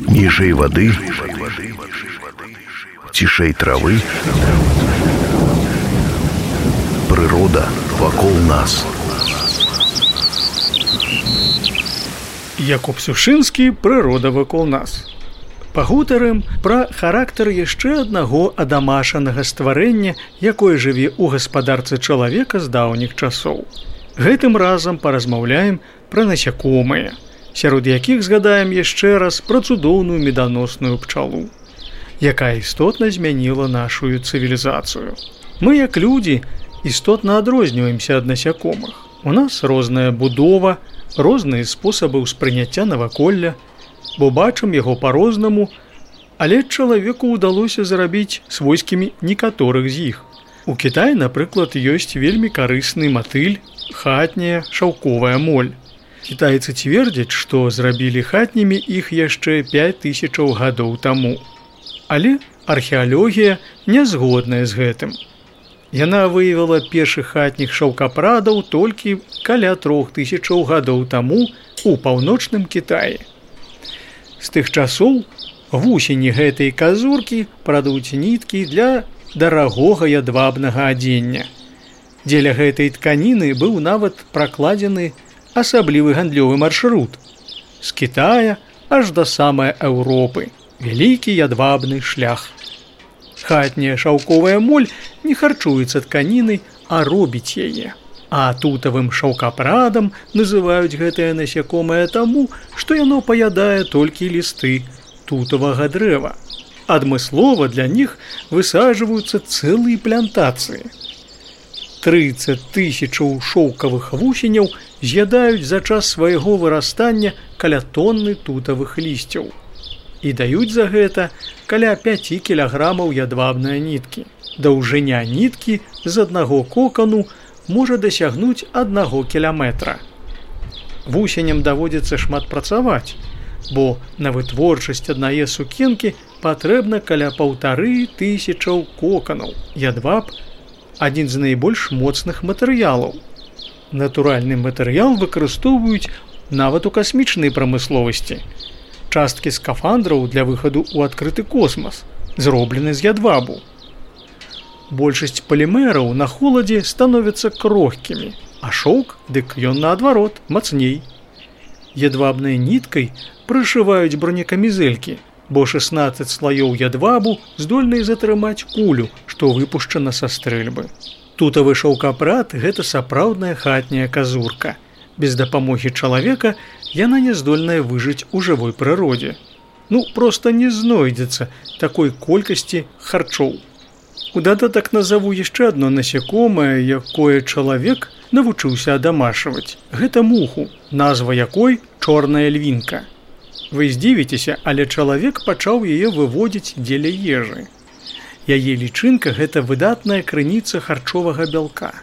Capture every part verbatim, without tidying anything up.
Ніжэй вады, цішэй травы, прырода вакол нас. Якуб Сушынскі «Прырода вакол нас». Пагутарым пра характар яшчэ аднаго адамашанага стварэння, якое жыве ў гаспадарцы чалавека з даўніх часоў. Гэтым разам паразмаўляем пра насякомыя, сярод якіх згадаем яшчэ раз пра цудоўную меданосную пчалу, якая істотна змяніла нашу цывілізацыю. Мы, як людзі, істотна адрозніваемся ад насякомых. У нас розная будова, розныя спосабы ўспрыняцця наваколля, бо бачым яго па-рознаму, але чалавеку ўдалося зрабіць свойскімі некаторых з іх. У Кітаі, напрыклад, ёсць вельмі карысны матыль, хатняя шаўковая моль. Кітайцы цвердзяць, што зрабілі хатнімі іх яшчэ пяць тысячаў гадоў таму. Але археалогія не згодная з гэтым. Яна выявіла першых хатніх шаўкапрадаў толькі каля трох тысячаў гадоў таму у паўночным Кітаі. З тых часоў вусені гэтай казуркі прадуць ніткі для дарагога ядвабнага адзення. Дзеля гэтай тканіны быў нават пракладзены асаблівы гандлёвы маршрут з Кітая аж да самай Еўропы, вялікі ядвабны шлях. Хатняя шаўковая моль не харчуецца тканінай, а робіць яе. А тутавым шаўкапрадам называюць гэтае насякомае таму, што яно паядае толькі лісты тутавага дрэва. Адмыслова для них высаджваюцца цэлыя плантацыі. трыццаць тысячаў шоўкавых вусеняў з'ядаюць за час свайго вырастання каля тонны тутавых лісцяў і даюць за гэта каля пяць кілаграмаў ядвабнай ніткі. Даўжыня ніткі з аднаго кокану можа дасягнуць аднаго кіламетра. Вусеням даводзіцца шмат працаваць, бо на вытворчасць аднае сукенкі патрэбна каля паўтары тысячаў коканаў. Ядваб – адзін з найбольш моцных матэрыялаў. Натуральны матэрыял выкарыстоўваюць нават у касмічнай прамысловасці. Часткі скафандраў для выхаду ў адкрыты космас зроблены з ядвабу. Большасць палімераў на холадзе становяцца крохкімі, а шоўк, дык ён наадварот, мацней. Ядвабнай ніткай прышываюць бронекамізэлькі, бо шаснаццаць слаёў ядвабу здольныя затрымаць кулю, што выпушчана са стрэльбы. Тутавы шаўкапрад – гэта сапраўдная хатняя казурка. Без дапамогі чалавека яна не здольная выжыць у жывой прыродзе. Ну, проста не знойдзецца такой колькасці харчоў. У дадатак назову яшчэ адно насякомае, якое чалавек навучыўся адамашваць. Гэта муху, назва якой чорная львінка. Вы здзівіцеся, але чалавек пачаў яе выводзіць дзеля ежы. Яе лічынка – гэта выдатная крыніца харчовага бялка.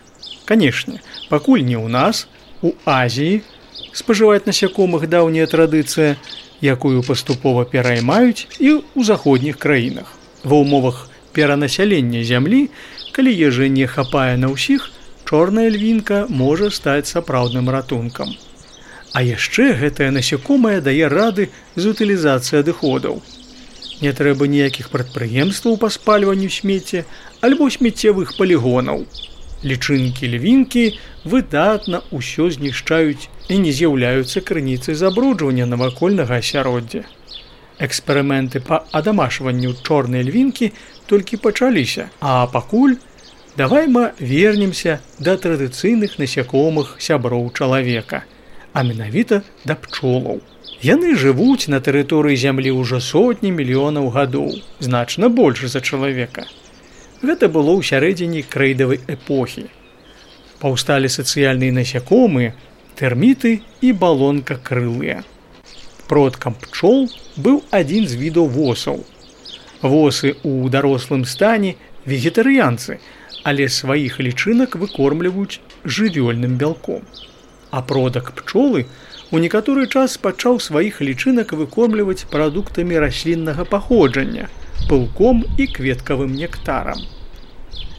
Канешне, пакуль не ў нас, у Азіі спажываць насякомых даўняя традыцыя, якую паступова пераймаюць і ў заходніх краінах. Ва ўмовах перанасялення зямлі, калі ежы не хапае на ўсіх, чорная львінка можа стаць сапраўдным ратункам. А яшчэ гэтае насякомае дае рады з утылізацыі адыходаў. Не трэба ніякіх прадпрыемстваў па спальванню смецця альбо смеццевых палігонаў. Лічынкі львінкі выдатна ўсё знішчаюць і не з'яўляюцца крыніцай забруджвання навакольнага асяроддзя. Эксперыменты па адамашванню чорнай львінкі толькі пачаліся, а пакуль давай мы вернемся да традыцыйных насякомых сяброў чалавека, а менавіта да пчолаў. Яны жывуць на тэрыторыі зямлі ўжо сотні мільёнаў гадоў, значна больш за чалавека. Гэта было ў сярэдзіне крэйдавай эпохі. Паўсталі сацыяльныя насякомыя, тэрміты і балонкакрылыя. Продкам пчол быў адзін з відаў восаў. Восы ў дарослым стане вегетарыянцы, але сваіх лічынак выкормліваюць жывёльным бялком. А продак пчолы у некаторы час пачаў сваіх лічынак выкормліваць прадуктамі расліннага паходжання, пылком і кветкавым нектарам.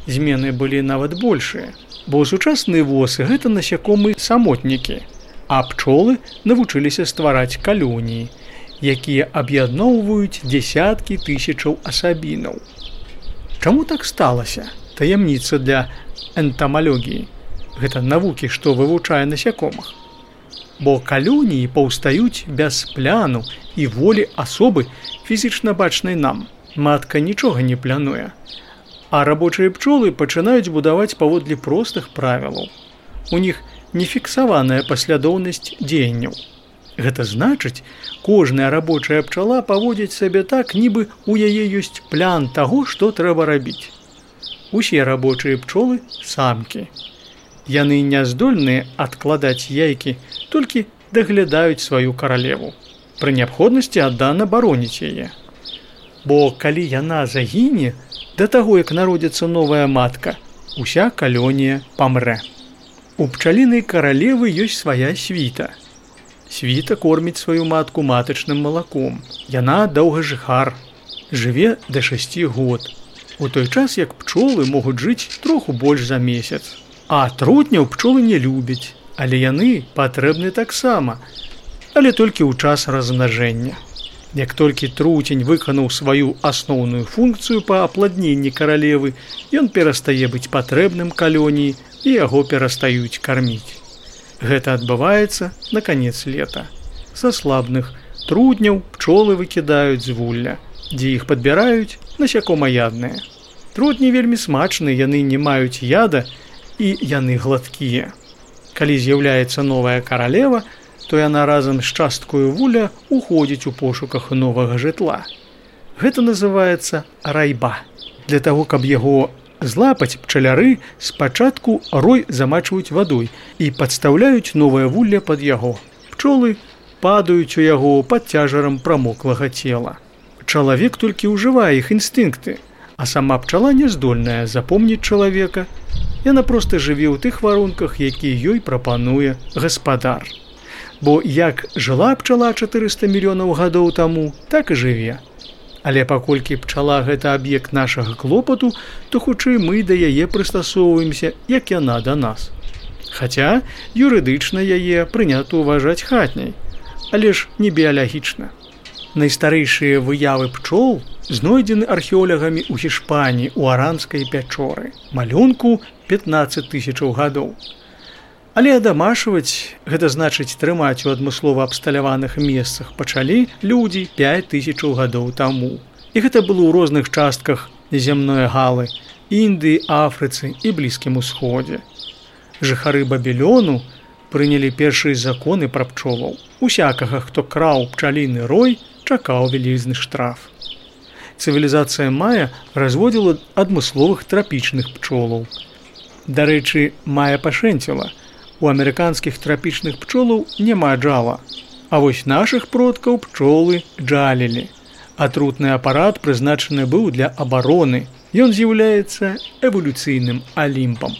Змены былі нават большыя, бо сучасныя восы – гэта насякомыя самотнікі, а пчолы навучыліся ствараць калоніі, якія аб'ядноўваюць дзесяткі тысячаў асабінаў. Чаму так сталася? Таямніца для энтамалогіі. Гэта навукі, што вывучае насякомых. Бо калоніі паўстаюць без пляну і волі асобы, фізічна бачнай нам. Матка нічога не плануе. А рабочыя пчолы пачынаюць будаваць паводле простых правілаў. У них нефіксаваная паслядоўнасць дзеянняў. Гэта значыць, кожная рабочая пчала паводзіць сабе так, нібы у яе ёсць плян таго, што трэба рабіць. Усе рабочыя пчолы самкі. Яны не здольныя адкладаць яйкі, толькі даглядаюць сваю каралеву. Пры неабходнасці аддана бароніць яе. Бо калі яна загіне, да таго, як народзіцца новая матка, уся калонія памрэ. У пчалінай каралевы ёсць свая світа. Світа корміць сваю матку матачным малаком. Яна доўгажыхар, жыве да шасці год. У той час, як пчолы могуць жыць троху больш за месяц. А трутняў пчолы не любяць, але яны патрэбны таксама, але толькі ў час размнажэння. Як толькі труцень выканаў сваю асноўную функцыю па апладненні каралевы, ён перастае быць патрэбным калоніі і яго перастаюць карміць. Гэта адбываецца на канец лета. Са слабных трутняў пчолы выкідаюць з вулля, дзе іх падбіраюць насякомаядныя. Трутні вельмі смачныя, яны не маюць яда і яны гладкія. Калі з'яўляецца новая каралева, то яна разам з часткою вуля уходзіць у пошуках новага жытла. Гэта называецца райба. Для таго, каб яго злапаць, пчаляры спачатку рой замачваюць вадой і падстаўляюць новае вулле пад яго. Пчолы падаюць у яго пад цяжарам прамоклага цела. Чалавек толькі ўжывае іх інстынкты, а сама пчала не здольная запомніць чалавека. Яна проста жыве ў тых варунках, якія ёй прапануе гаспадар. Бо як жыла пчала чатырыста мільёнаў гадоў таму, так і жыве. Але паколькі пчала гэта аб'ект нашага клопату, то хутчэй мы да яе прыстасоўваемся, як яна да нас. Хаця юрыдычна яе прынята ўважаць хатняй, але ж не біялагічна. Найстарэйшыя выявы пчол знойдзены археолагамі ў Гішпаніі у Аранскай пячоры, малюнку пятнаццаць тысячаў гадоў. Але адамашваць, гэта значыць трымаць у адмыслова абсталяваных месцах, пачалі людзі пяць тысячаў гадоў таму. І гэта было ў розных частках зямной галы, Індыі, Афрыцы і Блізкім Усходзе. Жыхары Бабілёну прынялі першыя законы пра пчолаў. Усякага, хто краў пчаліны рой, чакаў вялізны штраф. Цывілізацыя Мая разводзіла адмысловых трапічных пчолаў. Дарэчы, Мая пашэнціла. У амерыканскіх трапічных пчолаў няма джала, а вось нашых продкаў пчолы джалілі. Атрутны апарат прызначаны быў для абароны. Ён з'яўляецца эвалюцыйным алімпам.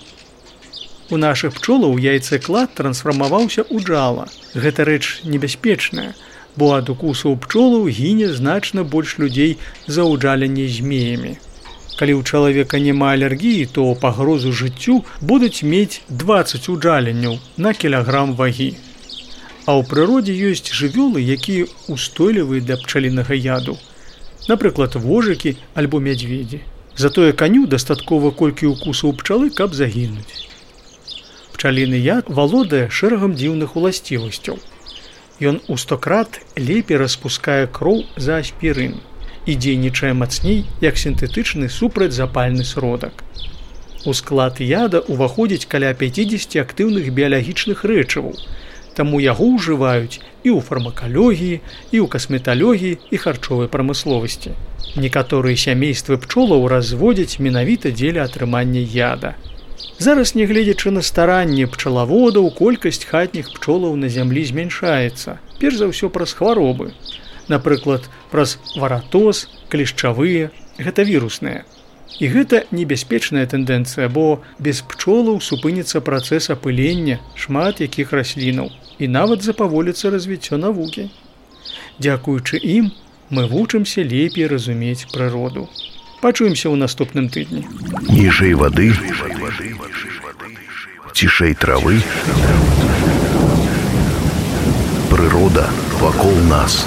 У нашых пчолаў яйцэклад трансфармаваўся ў джала. Гэта рэч небяспечная, бо ад укусаў пчолаў гіне значна больш людзей за ўджаленне змеямі. Калі ў чалавека няма алергіі, то пагрозу жыццю будуць мець дваццаць уджаленняў на кілаграм вагі. А ў прыродзе ёсць жывёлы, якія ўстойлівыя для пчалінага яду. Напрыклад, вожыкі альбо мядзведзі. Затое каню дастаткова колькі укусаў пчалы, каб загінуць. Пчаліны яд валодае шэрагам дзіўных уласцівасцяў. Ён у сто крат лепей распускае кроў за аспірын і дзейнічае мацней, як сінтэтычны супрацьзапальны сродак. У склад яда ўваходзіць каля пяцьдзесят актыўных біялагічных рэчываў, таму яго ўжываюць і ў фармакалогіі, і ў касметалогіі і харчовай прамысловасці. Некаторыя сямействы пчолаў разводзяць менавіта дзеля атрымання яда. Зараз, нягледзячы на старанні пчалаводаў, колькасць хатніх пчолаў на зямлі змяншаецца, перш за ўсё праз хваробы. Напрыклад, праз варатоз, клешчавыя, гэта вірусныя. І гэта небяспечная тэндэнцыя, бо без пчолаў супыніцца працэс апылення шмат якіх раслінаў і нават запаволіцца развіццё навукі. Дзякуючы ім мы вучымся лепей разумець прыроду. Пачуемся ў наступным тыдні. Ніжэй вады, цішэй травы, прырода вакол нас.